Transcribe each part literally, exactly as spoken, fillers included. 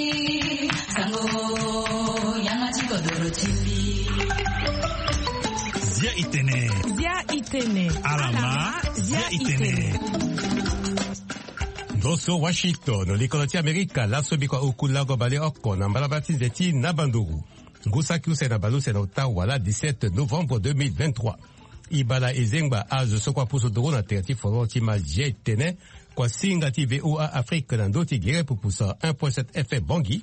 Sango, yanga ti kodoro ti mbi. Zia itene. Zia itene. Alama, zia itene. Ndo so Washington, likolo ti Amerika, laso bikua oku lago baleoko na mbalambala ti nze ti na banduru. Ngu saki use na baleuse na ota wala dix-sept novembre deux mille vingt-trois. Ibala ezengba azo so kua pusu duru na tere ti foro ti ma zia itene, kua singa ti V O A Afrique na ndo ti gere pupusa un point sept F M Bangui,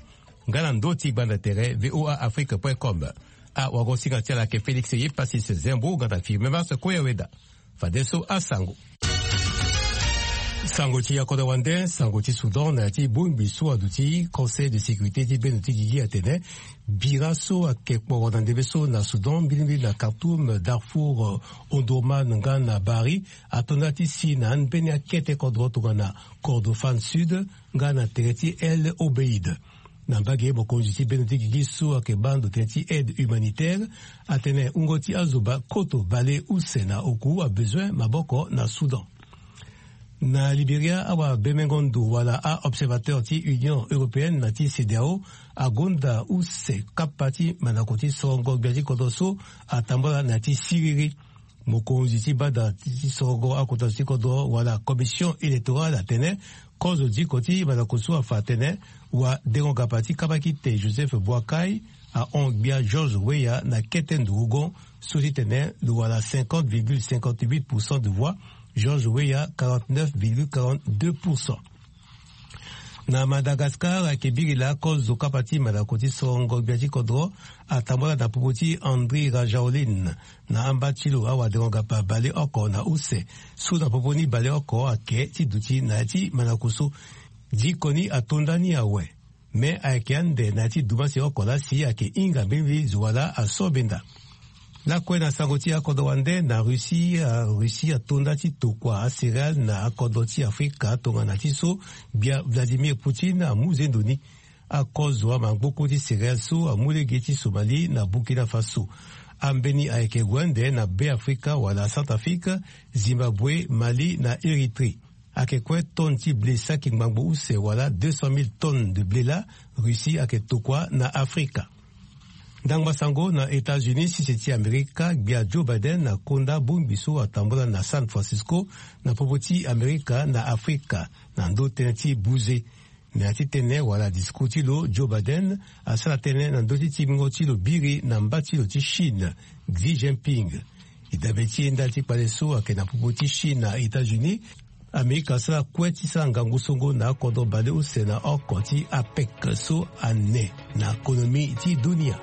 nga na ndo ti gbanda tere V O A Afrique point com. Awagosinga ti ala ayeke Félix Yepasis Zembo nga na Firmin Mars Koyaweda. Fadeso asango. Sango ti akodro wande, sango ti Soudan na ya ti bongbi so aduti Conseil de sécurité ti bendo ti gigi atene bira so ayeke kporo na ndembe so na Soudan, mbilimbili na Khartoum, Darfour, Omdurman nga na Bahri, ato nda ti si na ambeni akete kodro tongana Kordofan Sud nga na tere ti El Obeid. Na mbage, mokonzi ti bendo ti gigi so ayeke baa ndo tënë ti aide humanitaire atene wungo ti azo ba koto baleuse na oku abezoin maboko na Soudan. Na Libéria, awabemengo ndo wala a-observateur ti Union européenne na ti CEDEAO agonda use kapa ti mandako ti sorongo gbia ti kodro so atambula na ya ti siriri. Mokonzi ti bada ti sorongo akota zo ti kodro wala commission électorale atene kozo diko ti mandako so afa atene wadengo-gapa ti kabakite Joseph Boakai ahon gbia George Weah na kete ndurugon so ti tene lo wala cinquante virgule cinquante-huit pour cent de voix, George Weah quarante-neuf virgule quarante-deux pour cent. Na Madagascar, ayeke biri laa kozo kapa ti mandako ti sorongo gbia ti kodro atambula na popo ti Andry Rajaolin na amba ti lo awadengo-gapa baleoko na use so na popo ni baleoko ayeke ti duti na ya ti mandako so. Diko ni ato nda ni awe. Me ayeke ande na ya ti dumasio oko laa si ayeke hinga mbirimbiri zo wa laa aso benda. Lakue na sango ti akodro wande na Russie, a-Russie ato nda ti tokua acéréale na akodro ti Afrika tongana ti so gbia Vladimir Poutine amu zendo ni. Akozo amangboko ti céréale so amu lege ti Somalie na Burkina Faso. Ambeni ayeke gue ande na Be Afrika wala Centrafrique, Zimbabwe, Mali na Érythrée. Ayeke kue tonne ti blé saki ngbangbo use wala deux cent mille tonnes de blé laa Russie ayeke tokua na Afrika. Ndangba sango na États-Unis, sese ti Amerika, gbia Joe Biden akonda bongbi so atambula na San Francisco na popo ti Amerika na Afrika na ndö tënë ti buze. Na ya ti tënë wala discours ti lo, Joe Biden asara tënë na ndö ti timbingo ti lo biri na mba ti lo ti Chine, Xi Jinping. E dabe ti e ndali ti kpale so ayeke na popo ti Chine na États-Unis, Amerika asara kue ti sara ngangu songo na akodro baleuse na oko ti APEC so ane na konomi ti dunia.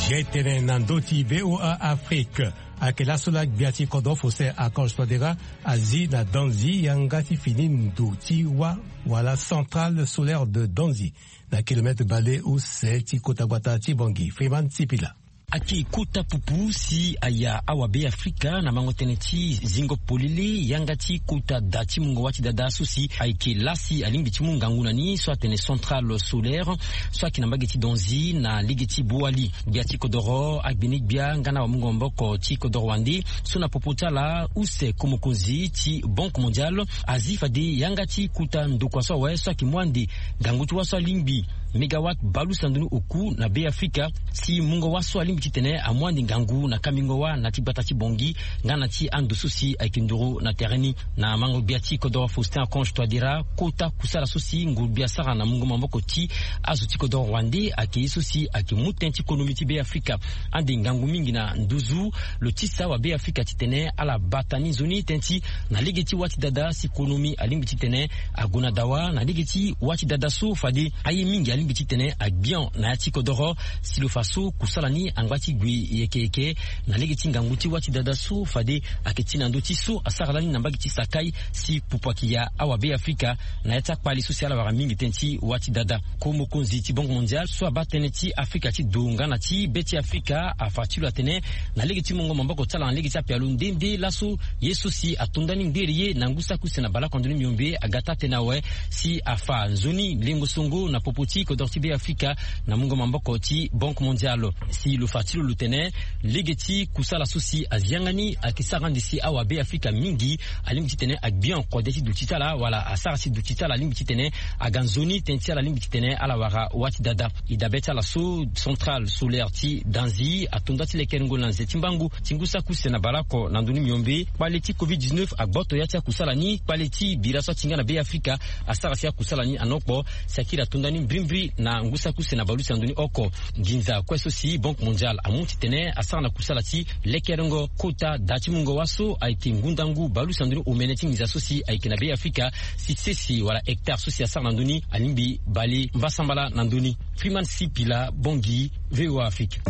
Jetene na ndö ti V O A Afrique. Ayeke laso laa gbia ti kodro Faustin Archange Touadéra azi na Danzi yanga ti fini ndo ti wâ wala centrale solaire de Danzi na kilomètre baleuse ti kota gbata ti Bangui. Freeman Sipila. Ayeke kota pupu si aya awabe Afrika na mango tënë ti zingo polele yanga ti kota da ti mungo wâ ti dada so si ayeke laa si alingbi ti mu ngangu na ni so atene centrale solaire so ayeke na mbage ti Danzi na lege ti Boali. Gbia ti kodoro agbeni gbia nga na wamungo maboko ti kodoro wande so na popo ti ala use ko mokonzi ti Banque Mondiale azi fade yanga ti kota ndokua so awe so ayeke mu ande ngangu ti wâ so alingbi mégawatt baleuse na ndoni oku na Be Afrika si mungo wâ so alingbi titene amu ande ngangu na kambingo wâ na ti gbata ti Bangui nga na ti ando so si ayeke nduru na tere ni. Na mango gbia ti kodoro Faustin Archange Touadéra, kota kusala so si nguru gbia asara na mungo maboko ti azo ti kodoro wande ayeke ye so si ayeke mu tënë ti konomi ti Be Afrika ande ngangu mingi na nduzu. Lo tisa wabe Afrika titene ala bata ni nzoni tënë ti na lege ti wâ ti dada si konomi alingbi titene ague na dawa na lege ti wâ ti dada so fade aye mingi Lingbi titene agbion na ya ti kodoro. Si lo fa so kusala ni angba ti gui yeke yeke na lege ti ngangu ti wâ ti dada so fade ayeke ti na ndö ti so asara lani na mbage ti Sakai, si pupu ayeke ya awa Be Afrika na ya ti akpale so si ala wara mingi tënë ti wâ ti dada. Ko mokonzi ti Banque Mondiale so abaa tënë ti Afrika ti do nga na ti be ti Afrika afa ti lo atene na lege ti mungo maboko ti ala na lege ti apialo nde nde laso ye so si ato nda ni nderi ye na ngu saki use na baleoko na ndoni miombe aga taa-tënë awe, si afa nzoni lengo songo na popo ti kodoro ti Be Afrika na mungo maboko ti Banque Mondiale. Si lo fa ti lo lo tene lege ti kusala so si azi yanga ni ayeke sara ande si awa Be Afrika mingi alingbi titene agbion kode ti duti ti ala wala asara si duti ti ala alingbi titene aga nzoni tënë ti ala alingbi titene ala wara wâ ti dada. E dabe ti ala so, centrale solaire ti Danzi ato nda ti lekerengo na nze ti mbangu ti ngu saki use na baleoko na ndoni miombe. Kpale ti covid dix-neuf agboto ya ti akusala ni, kpale ti bira so atinga na Be Afrika asara si akusala ni anokpo. Sakiri ato nda ni mbirimbiri na ngu saki use na baleuse na ndoni oko. Nginza kue so si Banque Mondiale amu titene asara na kusala ti lekerengo kota da ti mungo wâ so ayeke ngundangu baleuse na ndoni omene ti nginza so si ayeke na Be Afrika, si sese wala hectare so si asara na ndö ni alingbi bale mbasambala na ndö ni. Freeman Sipila, Bangui, V O A Afrique.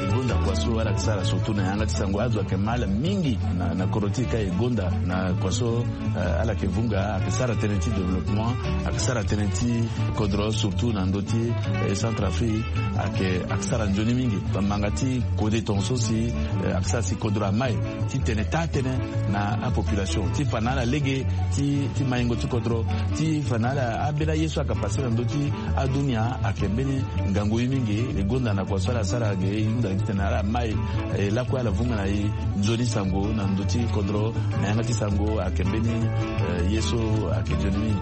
E gonda kua so ala yeke sara surtout na yanga ti sango, azo ayeke ma ala mingi na, na kodro ti e ka e gonda na kua so, eh, ala yeke vunga, ayeke sara tënë ti développement, ayeke sara tënë ti kodro surtout na ndö ti, eh, Centrafrique, ayeke, ayeke sara nzoni mingi. Bamanga ti kode tongaso si, eh, ayeke sara si kodro amai titene taa-tënë na apopulation ti fa na ala lege ti, ti maingo ti kodro, ti fa na ala ambeni aye so ayeke pase na ndö ti adunia ayeke mbeni ngangu ye mingi. E gonda na kua so ala sara ge e hunda titene ala mai, eh, lakue ala vunga na e nzoni sango na ndö ti kodro na yanga ti sango ayeke mbeni, eh, ye so ayeke nzoni mingi.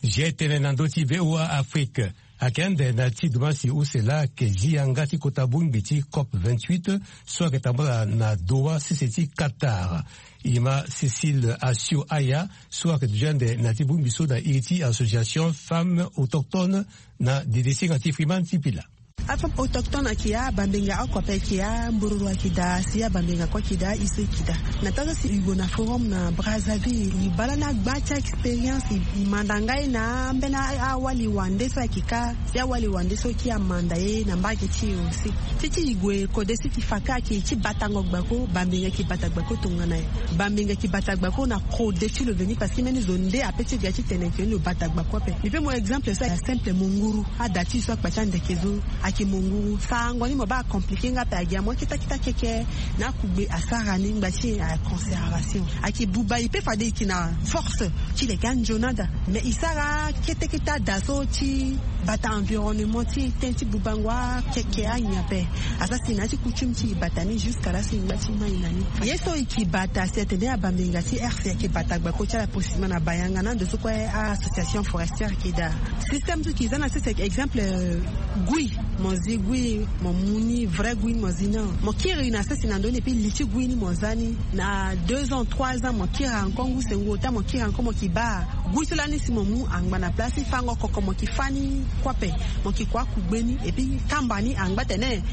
Zia tënë na ndö ti V O A Afrique. Ayeke ande na ti dumansi use laa ayeke zi yanga ti kota bongbi ti COP vingt-huit so ayeke tambula na Doha sese ti Qatar. E ma Cécile Assio Aya so ayeke duti ande na ti bongbi so na iri ti association Femmes Autochtones na dede singa ti Freeman Sipila. Afemme autochtone ayeke ya, bambenga oko ape ayeke ya, mbororo ayeke daa, si abambenga kue ayeke daa, e so e yeke daa. Na taa so si e gue na forum na Brazzaville, e baa lani agba ti a-expérience, e manda ngai na ambeni awali wande so ayeke ka, si awali wande so kiri amanda ye na mbage ti e aussi. Ti ti e gue kode si ti fa ka ayeke ti batango gbako, bambenga ayeke bata gbako tongana nyen? Bambenga ayeke bata gbako na kode ti lo veni parce que mbeni zo nde ape ti ga ti tene ke lo bata gbako ape. Mbi pe mo exemple so ayeke simple, mo nguru. Ada ti e so akpa ti andeke so ayeke mo nguru. Sarango ni mo baa acompliqué nga ape, agi amu akita kita keke na akugbe asara ni ngba ti e, a conservation. Ayeke buba e pe fade e yeke na force ti leke anzoni ada. Mais e sara kete kete ada so ti bata environnement ti e, tënë ti bubango akeke anyen ape. Asara si na ya ti coutume ti e bata ni jusqu'à là si e ngba ti mai na ni. Ye so e yeke bata si atene abambenga ti R C ayeke bata gbako ti ala possiblement na bayanga na ndo so kue a-association forestière ayeke daa. Système so e yeke za na sese ayeke exemple, euh, gui. Mo zi gui, mo mu ni vrai gui ni mo zi ni. Mo kiri na sese na ndö ni et puis li ti gui ni mo za ni. Na deux ans, trois ans mo kiri encore ngu sengo ota mo kiri encore mo yeke baa gui so lani si mo mu angba na place ti fango koko mo yeke fâ ni kue ape. Mo yeke kua akugbe ni et puis kamba ni angba tene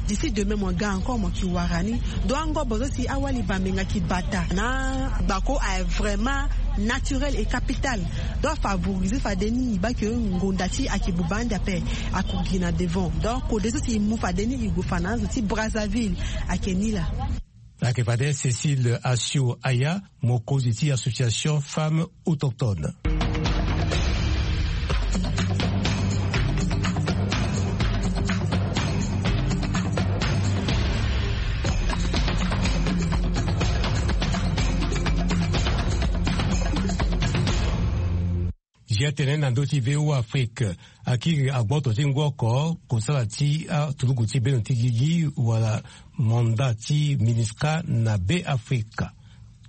d'ici demain mo ga encore mo yeke wara ni. Donc angobo so si awali bambenga yeke bata na gbako aye vraiment naturel et capital. Donc afavorisé fade ni e baa ke ngonda ti e ayeke buba ande ape, ako gi na devant. Donc kode so si e mu fade ni e gue fa na azo ti Brazzaville ayeke ni laa. Ayeke fade Cécile Assio Aya, mokonzi ti association Femmes Autochtones. Zia tene na ndö ti V O A Afrique. Akiri agboto ti ngu oko kosala ti aturuku ti bendo ti gigi wala mandat ti MINUSCA na Be Afrika.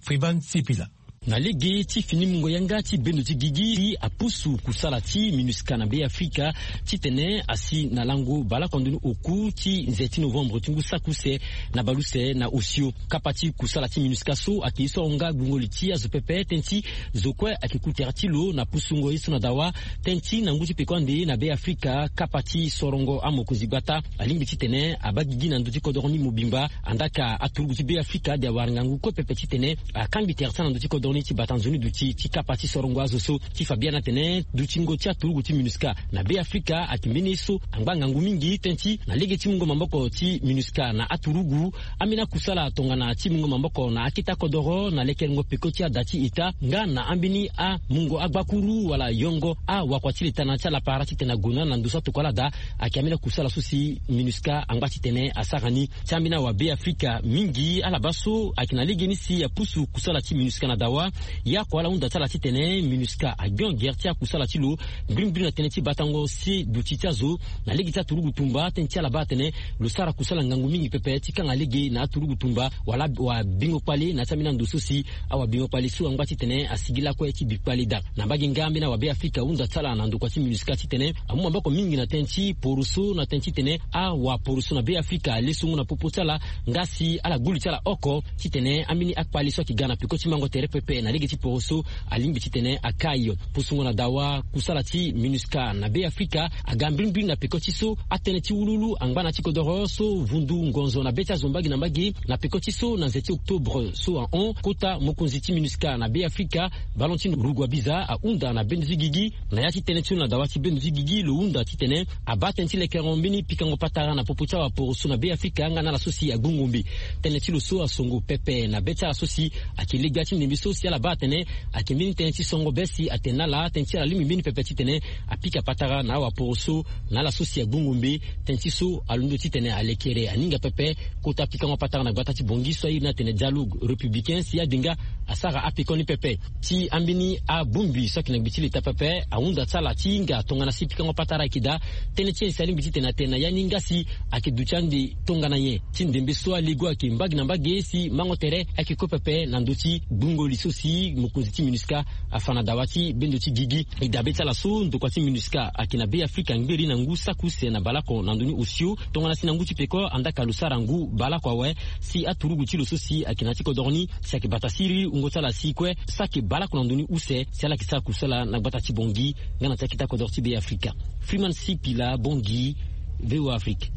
Freeman Sipila. Na lege ti fini mungo yanga ti bendo ti gigi ti apusu kusala ti minusca na be afrika, titene asi na lango baleoko ndoni oku ti nze ti novembre ti ngu saki use na baleuse na osio. Kapa ti kusala ti minusca so ayeke ye so ahon nga gbungo li ti azo pepe tënë ti zo kue ayeke ku tere ti lo na pusungo ye so na dawa. Tënë ti na ngu ti peko ande na be afrika kapa ti sorongo amokonzi gbata alingbi titene abaa gigi na ndö ti kodoro ni mobimba. Andaka aturugu ti be afrika ade awara ngangu kue pepe titene akangbi tere ti ala na ndö ti kodoro ni ti bata nzoni duti ti kapa ti sorongo azo so. Ti fa biani atene dutingo ti aturugu ti minusca na be afrika ayeke mbeni ye so angba ngangu mingi tënë ti na lege ti mungo maboko ti minusca na aturugu. Ambeni akusala tongana ti mungo maboko na akete akodoro na lekerengo peko ti ada ti eta nga na ambeni amungo agbakuru wala yongo awakua ti letana ti alapara titene ague na ndo so atokua ala daa. Ayeke ambeni akusala so si minusca angba titene asara ni. Ti ambeni awa be afrika mingi ala baa so ayeke na legeni si apusu kusala ti minusca na dawa. Ye oko ala hunda ti ala titene minusca agion gere ti akusala ti lo mbirimbiri na tënë ti batango si duti ti azo na lege ti aturugu tumba tënë ti ala baa atene lo sara kusala ngangu mingi pepe ti kanga lege na aturugu tumba wala wabingo kpale na ya ti ambeni ando so si awabingo kpale so angba titene asigi lakue ti bi kpale daa. Na mbage nga ambeni awa be afrika ahunda ti ala na ndokua ti minusca titene amu maboko mingi na tënë ti poroso na tënë titene awaporoso na be afrika ale songo na popo ti ala nga si ala gbu li ti ala oko titene ambeni akpale so ayeke ga na peko ti mango tere pepe na lege ti poroso alingbi titene akai. Pusungo na dawa kusala ti minusca na be afrika aga mbirimbiri na peko ti so atënë ti wuluwulu angba na ti kodoro so vundu ngonzo na be ti azo mbage na mbage na peko ti so na nze ti octobre so ahon kota mokonzi ti minusca na be afrika valentine ruguabiza ahunda na bendo ti gigi na ya ti tënë ti lo na dawa ti bendo ti gigi lo hunda titene abaa tënë ti lekerengo mbeni pikango patara na popo ti awaporoso na be afrika nga na ala so si agbu ngombe. Tënë ti lo so asongo pepe na be ti ala so si ayeke legbia ti ndembe so si ala baa atene ayeke mbeni tënë ti songo be si atene na ala tënë ti ala lingbi mbeni pepe titene apika patara na awaporoso na ala so si agbu ngombe. Tënë ti so alondo titene alekere aninga pepe kota pikango patara na gbata ti bongi so airi ni atene dialogue républicain si ade nga asara apekoni pepe. Ti ambeni abongbi so ayeke na gbe ti leta pepe ahunda ti ala ti hinga tongana si pikango patara ayeke daa. Tënë ti nyen si alingbi titene atene na ya ni nga si ayeke duti ande tongana nyen ti ndembe so alego ayeke mbage na mbage si mango tere ayeke kue pepe na ndö ti gbungo li so si mokonzi ti minusca afa na dawa ti bendo ti gigi. E dabe ti ala so ndokua ti minusca ayeke na be afrika ngberi na ngu saki use na baleoko na ndoni osio tongana si na ngu ti peko andaka lo sara ngu baleoko awe si aturugu ti lo so si ayeke na ya ti kodoro ni si ayeke bata siriri wungo ti ala si kue saki baleoko na ndoni use si ala yeke sara kusala na gbata ti bongi nga na ti akete akodoro ti be afrika. Freeman sipila bongi, voa afrique.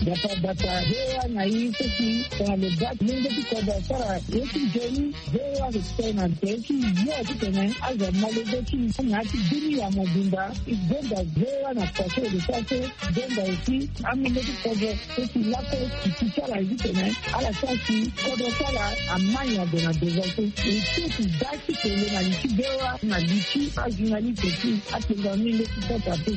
Bata bata hewa na i seki tongana lo baa lenge ti kodro asara ye ti nzoni. Voa respect na nze ti yo titene azo ma lege ti na ya ti dunia mobimba. E gonda voa na kua so e lo sara so. Gonda aussi amenge ti kodro so si lakue ti ti ti ala ye titene ala sara si kodro ti ala amai na gue na devant so. E so ti baa ti kele na li ti voa na li ti ajournaliste ti atenda menge ti kota te.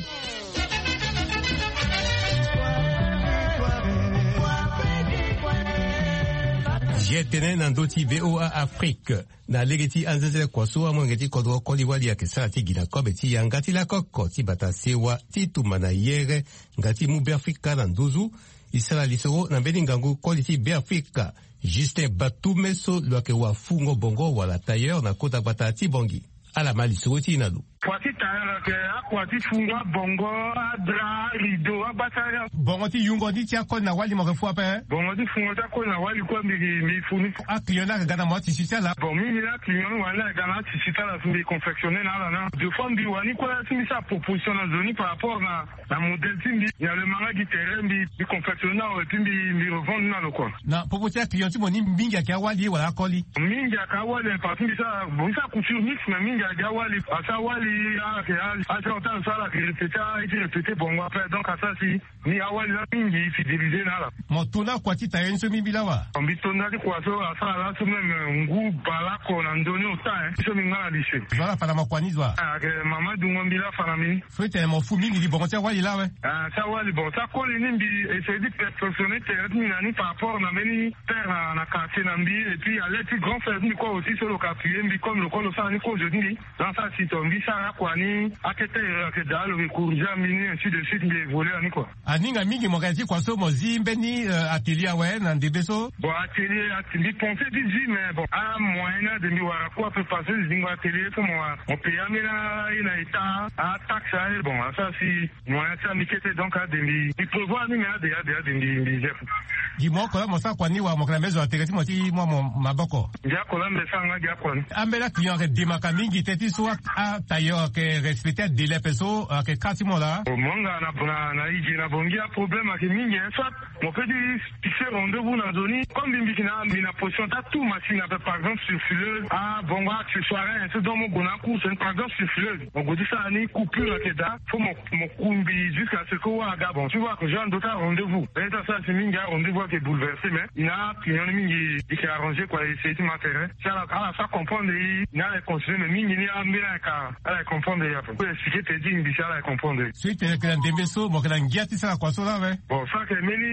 Ye tene na ndö ti voa afrique. Na lege ti anzenzele kua so amolenge ti kodro koli wali ayeke sara ti gi na kobe ti yanga ti lakoko ti bata sewa ti tumba na yere nga ti mu beafrika na nduzu. E sara lisoro na mbeni ngangu koli ti beafrika, justin batume so lo yeke wafungo bongo wala tailleur na kota gbata ti bongi. Ala ma lisoro ti e na lo. Kua ti tara yeke akua ti fungo abongo, adra, arido, agbasara. Bongo ti yungo ni ti akoli na wali mo yeke fu ape. Bongo ti fungo ti akoli na wali kue mbi mbi fu ni. Aclient ni ayeke ga na mo atisi ti ala. Bon mbi mbi ni aclient ni wani ayeke ga na atisi ti ala si mbi confectionne na ala na deux fois mbi wani kue si mbi sara proposition na zo ni par rapport na na modèle ti mbi. Nyalu manga gi tere mbi mbi confectionne na awe ti mbi mbi revendre na lo kua. Na popo ti aclient ti mo ni mingi ayeke awali wala akoli? Mingi ayeke awali parce que mbi sara mbi sara couture mix mais mingi ayeke awali parce que awali ayeke asara ota lo so ala yeke répéter aye ti répéter bongo après donc asara si ni awali la mingi fidélisé na ala. Mo to na kua ti tailleur ni so mbi mbi lawa? Mbi to na ti kua so asara laso même ngu baleoko na ndoni ota. Hein so mbi nga na lycée. Zo ala fa na mo kua ni zo wa? Ayeke mama dungo mbi la fa na mbi ni. So e tene mo fu mingi gi bongo ti awali la awe? Ah ti awali bongo ti akoli ni mbi essayer ti perfectionner tere ti mbi na ni par rapport na mbeni père na quartier na mbi et puis alerte ti grand frère ti mbi kue aussi so lo ka appuyer mbi comme lo kue lo sara ni kozo ti mbi. Dans sa situation mbi sara akua ni. Akete ayeke daa lo yeke corriger ambeni, ainsi de suite, mbi évoluer ani kua. Aninga mingi mo yeke na ti kua so mo zi mbeni atelier awe na ndembe so? Bon, atelier ati mbi pense ti zi, mais bon, amoyen ni ade mbi wara kua pe parce que zingo atelier so mo wara mo paye ambeni aye na état, ataxe aye. Bon, asara si moyen ti ambi kete, donc ade mbi mbi prévoir ni, mais ade ade ade mbi mbi gère. Gi mo oko laa mo sara kua ni wala mo yeke na mbeni zo na tere ti mo ti mu amo maboko? Gi oko laa mbi sara nga gi oko ni. Ambeni aclient ayeke demaka mingi teti so atailleur ayeke respecter adélai ape so ayeke kâ ti mo laa? Mo nga na na na ige na bongi aproblème ayeke mingi, hein, soit mo peut ti fixer rendez-vous na nzoni. Comme mbi mbi yeke na mbi na position ti atu machine ape, par exemple sur fileuse, abongo accessoire, hein, so donc mo gue na acourse ni, par exemple sur fileuse mo gue ti sara ni, coupure ayeke daa. Faut mo mo ku mbi jusqu'à ce que wara aga. Bon, si wara ke jour ando ti arendez-vous, mais ti asara si mingi arendez-vous ayeke bouleversé, mais i na aclient ni mingi i yeke arrangé kua, essayer ti ma tere. Si ala ala sara comprendre i ni, ala yeke continuer, mais mingi ni ambeni ala yeke ala yeke comprendre i ape. Expliquer te ti mbi si ala yeke comprendre. So i tene yeke na ndembe so mo yeke na ngia ti sara kua so laa awe? Bon, so ayeke mbeni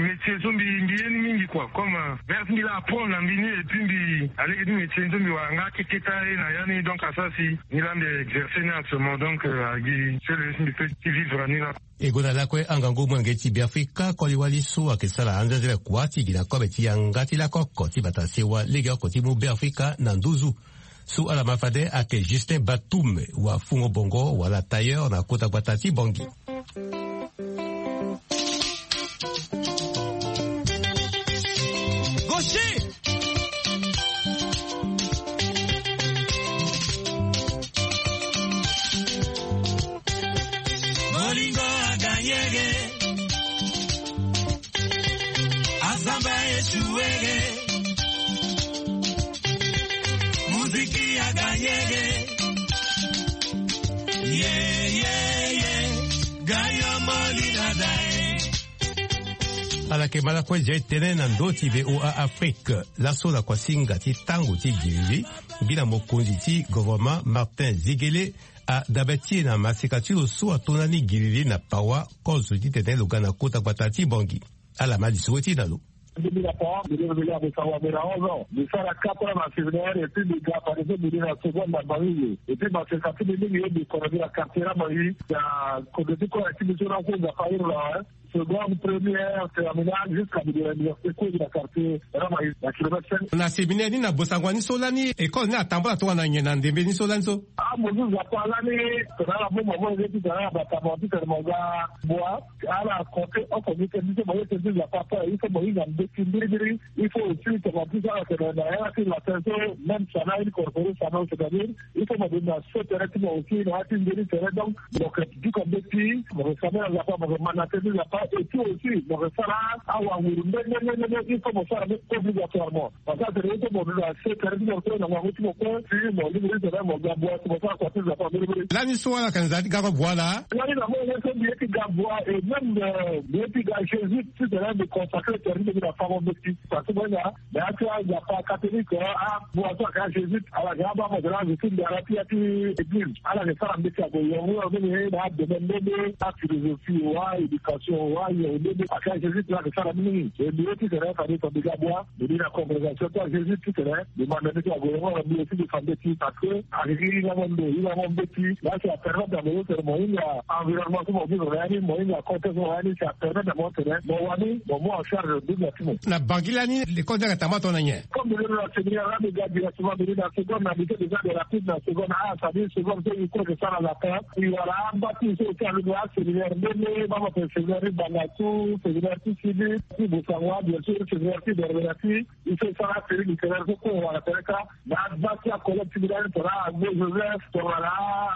métier so mbi mbi ye ni mingi kua, comme euh, mère ti mbi laa apprendre na mbi ni, et puis mbi alege ti métier ni so mbi wara nga akeketa ye na ya ni, donc asara si ni laa mbi exercer ni actuellement, donc euh, agi seul ye so mbi peut ti vivre ni laa. E gue na lakue angangu molenge ti Beafrika koli wali so ayeke sara anzenzele kua ti gi na kobe ti yanga ti lako oko ti bata sewa legeoko ti mu Beafrika na nduzu. So ala ma fade ayeke Justin Batum wa fungo bongo wala tailleur na kota gbata ti Bangui. Gaucher. Molingo aganyege. Azamba esuwege. Muziki aganyege. Ye ye ye. Gayo molina dae. Ala yeke ma lakue zia e tënë na ndö ti V O A Afrique. Laso na kuasinga ti tango ti giriri, mbi na mokonzi ti gouvernement Martin Zigele adabe ti e na maseka ti lo so ato na ni giriri na pawa kozo titene lo ga na kota gbata ti Bangui. Ala ma lisoro ti na lo. Mbi na pawa mbi lingbi ya mbi sara wa mbi na onze ans, mbi sara quatre ans na séminaire et puis mbi ga fade so mbi ni na seconde na Bangui. Et puis maseka ti mbi mingi ye mbi kono mbi na quartier na Bangui, na kozo ti kue na ti mbi so na so Nzapa iri na wa. Seconde, première, terminale, jusqu'à mbi de l'université kue mbi na quartier Ramaï na kilomètre cinq. Na séminaire ni na bosango ni so lani école ni atambula tongana nyen na ndembe ni so lani so? Ah, mo zu Nzapa lani tongana ala boma mo ye ti tongana ala bata mo ti tene mo ga bua. Ala compter oko ni tene ti so mo ye tene ti Nzapa ape, il faut mo hinga mbeti mbirimbiri. Il faut aussi tongana ti so ala tene na ya ti latin so, même sana incorporé sana, c'est-à-dire il faut mo de na so tere ti mo aussi na ya ti mbeni tere. Donc mo yeke duka mbeti, mo yeke sambela Nzapa, mo yeke ma na tënë ti Nzapa, et puis aussi mo yeke sara awanguru nde nde nde nde, il faut mo sara ni obligatoirement. Parce que atene il faut mo na se tere ti mo kue na ngangu ti mo kue, si mo lingbi ti tene mo ga bua si mo sara kua ti Nzapa mbirimbiri. Lani so ala yeke na nzara ti gako bua laa? Lani na mo ye so mbi ye ti ga bua, et même euh, mbi ye ti ga Jésus ti tene mbi consacré tere ti mbi na fango mbeti. Parce que mo hinga na ya ti aNzapa catholique, abua so ayeke ajésuite, ala yeke abaa mo tene azo ti ndara ti ya ti église, ala yeke sara mbeti ague yongo yongo ni na adomaine nde nde, aphilosophie wa, éducation wa, yongo nde nde ayeke ajésuite, ala yeke sara ni mingi. E mbi ye ti tene fade fade mbi ga bua mbi ni na congrégation ti ajésuite ti tene mbi ma na mbeti ague yongo yongo, mbi aussi mbi fa mbeti parce que ayeke gi hinga mo ndo, hinga mo mbeti. Là ça permet na mo so tene mo hinga environnement so mo vivre na ya ni, mo hinga contexte so mo na ya ni, ça permet na mo tene mo wani mo mu en charge nduzu na ti mo. Na Bangui lani, l'école ni ayeke tambula tongana nyen? Comme mbi londo na séminaire lani, mbi ga directement, mbi ni na seconde, na lycée déjà de rapide na seconde, ah, c'est-à-dire seconde so mbi kue ke sara latin. Mbi wara amba ti mbi so aussi alondo aséminaire nde nde, mama pe séminaire ti Bangassou, séminaire ti Sidi, ti Bossangoa, bien sûr séminaire ti Berbera ti. Il faut sara série littéraire so kue wara tere kâ. Na bâ ti acollègue ti mbi lani tongana Agbo Joseph, tongana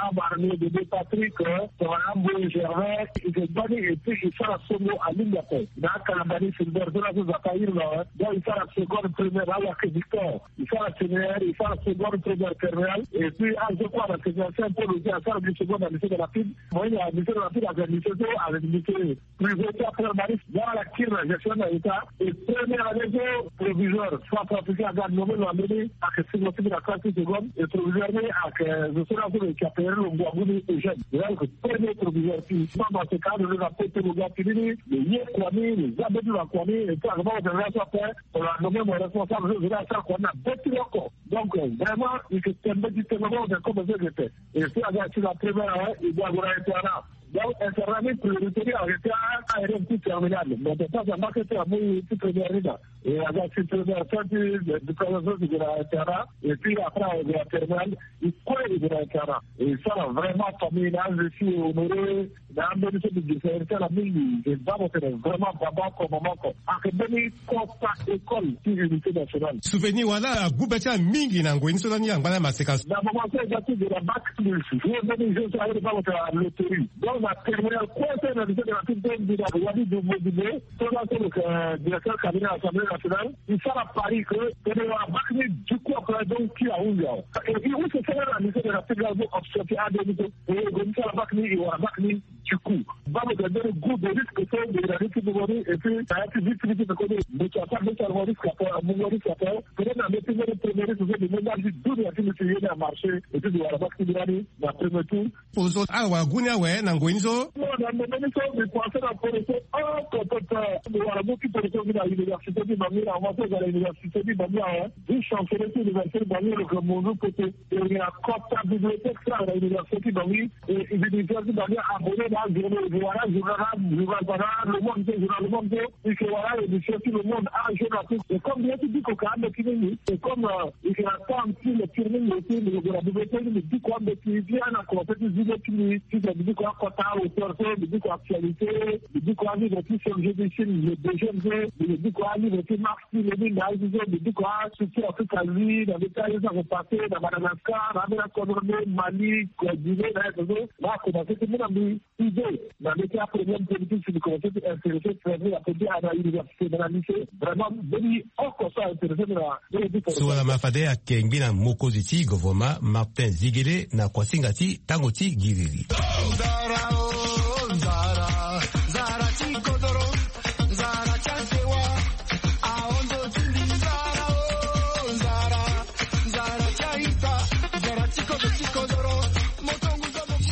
Abarnier Bébé Patrick, tongana Mboye Gervais, i ke bâ ni et puis i sara songo alingbi ape. Na akalambani Filbert so laso Nzapa iri na awe, donc i sara seconde, première na Wake Victor. I sara séminaire, i sara seconde, première, terminale. Et puis azo kue na séminaire Saint Paul aussi asara gi seconde na lycée de Rapide. Mo ye na lycée de Rapide avec lycée so avec lycée privé. État permaniste, dans la kiri na gestion na état. Et première année so proviseur centrafricain aga nommé lo ambeni ake sirlo sigi na classe seconde. Et proviseur ni ake zo so na so lo eke apere lo ngua nguni Eugène. Donc premier proviseur ti mama se ka lo na pote lo ga ti ni ni lo ye kua ni lo za betu na kua ni. Et puis ake mama se na so ape lo a nommé mo responsable so zo na asara kua ni na betu oko. Donc vraiment il se tembe ti tembe mo se comme se gete. Et puis aga ti la première année il doit go na internat. Donc internat ni priorité ni arrêté a aérien ti terminale. Mais de temps en temps que ti amu ti première ni na. Et aga ti première fin ti diplôme so ti go na internat. Et puis après ago na terminale. Il kue il go na internat. Et ça là vraiment famille na je suis honoré. Na ambeni so mbi gi sa iri ti ala mingi. Mbi baa mo tene vraiment baba oko mama oko. Ake mbeni kota école ti unité nationale. Souvenir wala agbu be ti ala mingi na ngoi ni so lani angba na maseka so. Na moment so e ga ti gi na bac plus. Ye mbeni jeu so aye baa mo tene na loterie. Donc na terminale kue so na lycée de la petite mbi na wali du mobile. So la so lo ke directeur cabinet assemblée nationale. E sara pari ke tene wara bac ni du coup après donc ti ahunzi awe. Et puis use sara na lycée de la petite la so option ti ade ni so. E go ni sara bac ni e wara bac ni. Du coup baa mo tene mbeni goût de risque so mbi na ni ti mungo ni. Et puis na ya ti vite vite ti koni mbi ti asara mbi ti sara mo risque ape mungo risque ape. Peut-être na mbi ti mbeni premier risque so mbi mu ndali ti dunia ti mbi ti ye ni amarché. Et puis mbi wara bac ti mbi lani na premier tour. Poroso ala wara gu ni awe na ngoi ni so. Non na mbi mbeni so mbi pense na poroso oko pepe. Mbi wara mu ti poroso mbi na université ti bangi na mbi so ga na université ti bangi awe. Vice chancelier ti université ti bangi lo ke munzu pote. E na kota bibliothèque so aga na université ti bangi. E université ti bangi abonné na ajournaux e wara ajournal na journal bana le monde so journal le monde so. E ke wara édition ti le monde ajournal so e comme bien ti diko ka ande ti mingi. E comme e ke na temps ti lecture mingi aussi mbi ke gue na bibliothèque mbi diko ande ti bien na conseil ti zile ti mbi ti mbi diko akota auteur so mbi diko actualité. Mbi diko alivre ti chef génétique le deuxième so mbi diko alivre ti marx ti lenin na aye so mbi diko astructure afrique asie na mbi ti aye so ake passé na madagascar na ambeni akodro nde mali guinée na aye so. Na akomanse ti mu na mbi idée na mbi ti aprobléme politique si mbi komanse ti intéressé traité na politique na université na na lycée. Vraiment mbeni oko so aintéressé mbi na mbeni ti so wala ma fade ayeke ngbi na mokonzi ti govoroma martin zigele na kuasinga ti tango ti giriri.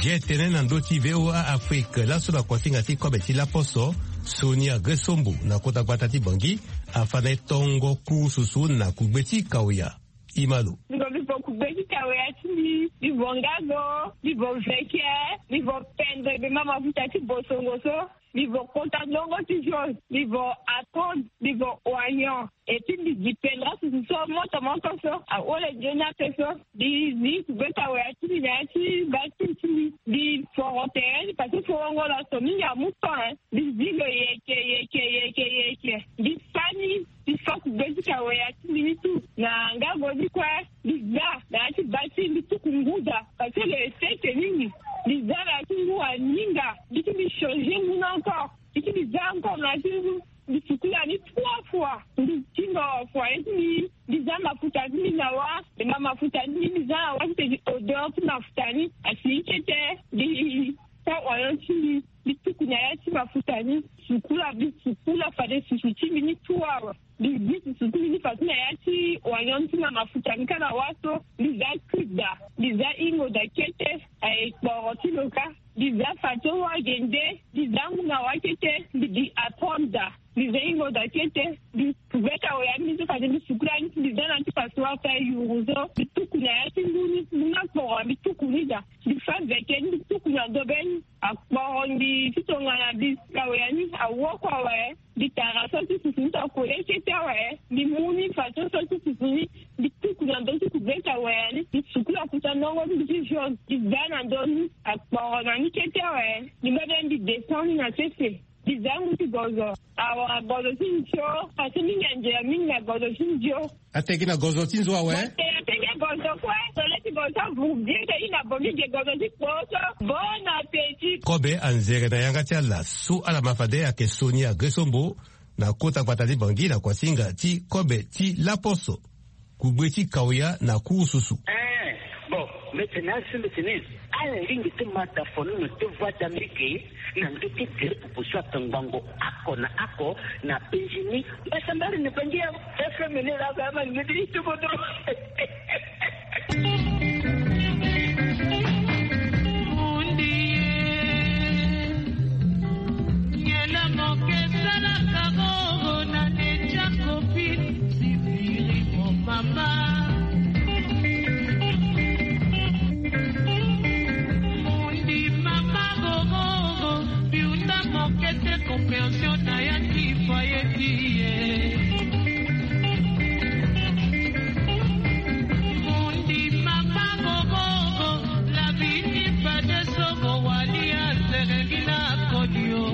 Ge tene na ndö ti voa afrique laso na kuasinga ti kobe ti laposo. Sonia gresombo na kota gbata ti bangi afa na e tongo kurususu na kugbe ti kaoya. Imalo. Mbi vo kugbe ti kaoya ti mbi mbi vo ngago mbi vo veke mbi vo pendre be ma mafuta ti bosongo so. Mbi vo kota ndongo ti jaune mbi vo atonde mbi vo oignon. Eti mbi gi pendra susu so moto moto so ahole nzoni ape so. Mbi zi kugbe kaoya ti mbi na ya ti bati ti mbi. Mbi foro tere ni pase forongo laso mingi amu ton. Mbi zi lo yeke yeke yeke yeke mbi fa ni. Mbi fa kugbe ti kaoya ti mbi ni tu na ngago ni kue. Mbi za na ya ti bati mbi tuku nguda pase lo ese ete mingi. Mbi za na ya ti ngu aninga mbi ti mbi changer ngu ni encore. Mbi ti mbi za encore na ya ti ngu. Mbi sukula ni trois fois mbi tingo foyer ti mbi. Mbi za mafuta ti mbi na wa. Mbi ma mafuta ti mbi mbi za na wa ti tene odeur ti mafuta ni asi ni kete. Mbi sa oignon ti mbi mbi tuku na ya ti mafuta ni. Sukula mbi sukula fade susu ti mbi ni tu awe. Mbi zi susu ti mbi ni faso na ya ti oignon ti ma mafuta ni ka na wa so. Mbi za cube da mbi za ingo da kete. Aye kporo ti lo ka. Mbi za fato wa gende. Mbi za ngu na wa kete mbi gi apprendre da. Mbi za ingo da kete mbi kubeta oya ni so fade mbi sukula ni ti mbi za na ti faso wa fa yuru so mbi tuku na ya ti ngu ni ngu na kporo mbi tuku ni da. Mbi fa veke ni mbi tuku na ndo be ni. Akporo mbi ti tongana mbi kawe ya ni awoko awe. Mbi tara so ti susu ni ta kole kete awe. Mbi mu ni faso so ti susu ni mbi tuku na ndo ti kubeta awe ya ni mbi sukula kuta ndongo ti mbi ti jaune mbi za na ndo ni. Akporo na ni kete awe. Mbi mbebe mbi descend ni na sese. Mbi za ngu ti gozo. Awa gozo ti nzio. Pase mingi anzela mingi na gozo ti nzio. Ategi na gozo ti nzo awe. Ategi gozo kue. Tole ti gozo avu bien te i na bongi ge gozo ti kposo. Bon appétit. Kobe anzere na yanga ti ala so ala ma fade ayeke soni agresombo na kota gbata ti bangi na kuasinga ti kobe ti laposo. Kugbe ti kaoya na kurususu. Eh, bon, mbi tene asi mbi tene ala lingbi ti mata fo ni na ti voie d'amérique. Na ndeti tere pupu so ato ngbongo ako na ako na Benjini. Mbasa mbari ni bangi ya F M ni la ga ma ngedi itubodo. Mundi ye, ngela moke salaka gogo na necha kopi. Sibiri mo mama. Mundi mama gogogo, biunda mokete compréhension na ya ti foyer ti ye. Mundi mama gogogo, la vie ti fade so mo wali aserengila kodio.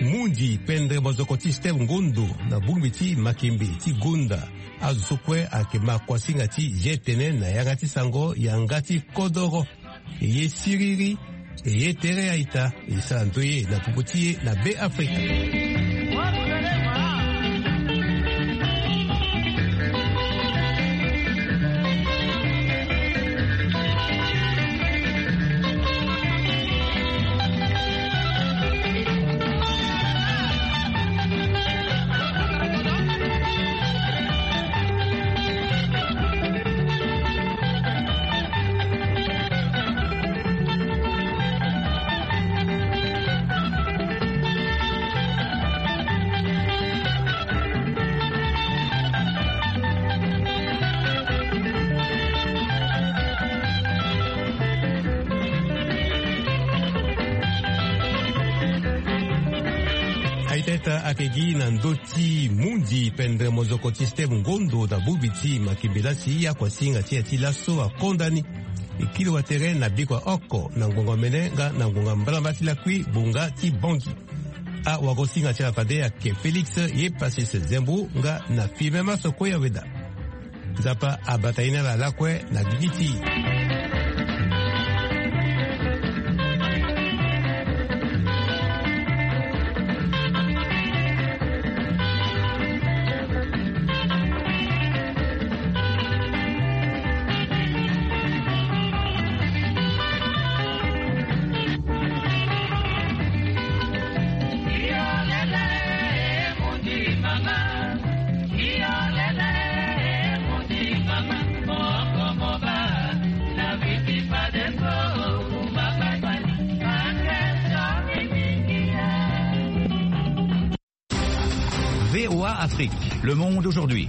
Mundi pendre mozoko ti Steve Ngondo na bongbi ti makembe ti gonda. Azo so kue ayeke ma kuasinga ti ye tene na yanga ti sango yanga ti kodoro. E ye siriri, e ye tere a-ita, e sara ndoye na popo ti e na Be Afrika. Ata ake gi na ndö ti mundi pendere mozoko ti steve ngondo na bubi ti makembe lasi akuasinga ti ya ti laso akonda ni. E kiri watere na bikua oko na ngonga mene nga na ngonga mbalamba ti lakui bonga ti bongi. Awagosinga ti ala fade ake félix ye pasis zembu nga na fimema soko ya weda. Nzapa abata ye na ala lakue na gigi ti. V O A Afrique, le monde aujourd'hui.